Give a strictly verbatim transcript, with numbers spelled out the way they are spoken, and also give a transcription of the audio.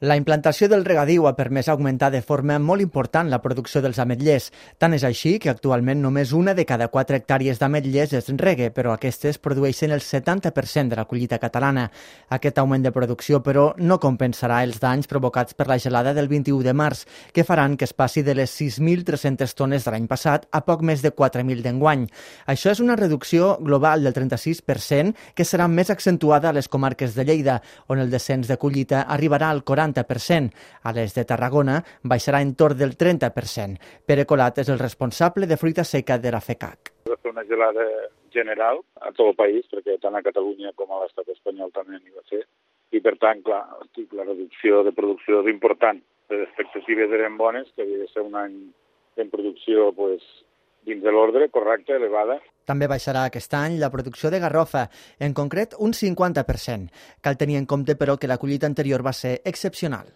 La implantació del regadiu ha permès augmentar de forma molt important la producció dels ametllers. Tant és així que actualment només una de cada quatre hectàrees d'ametllers es regue, però aquestes produeixen el setanta per cent de la collita catalana. Aquest augment de producció, però, no compensarà els danys provocats per la gelada del vint-i-u de març, que faran que es passi de les sis mil tres-centes tones de l'any passat a poc més de quatre mil d'enguany. Això és una reducció global del trenta-sis per cent que serà més accentuada a les comarques de Lleida, on el descens de collita arribarà al quaranta per cent. A les de Tarragona baixarà entorn del trenta per cent. Pere Colat és el responsable de fruita seca de la FECAC. Va fer una gelada general a tot el país, perquè tant a Catalunya com a l'estat espanyol també n'hi va fer. I per tant, clar, la reducció de producció és important. Les expectatives eren bones, que havia de ser un any en producció pues, dins de l'ordre, correcta, elevada. També baixarà aquest any la producció de garrofa, en concret un cinquanta per cent. Cal tenir en compte, però, que la collita anterior va ser excepcional.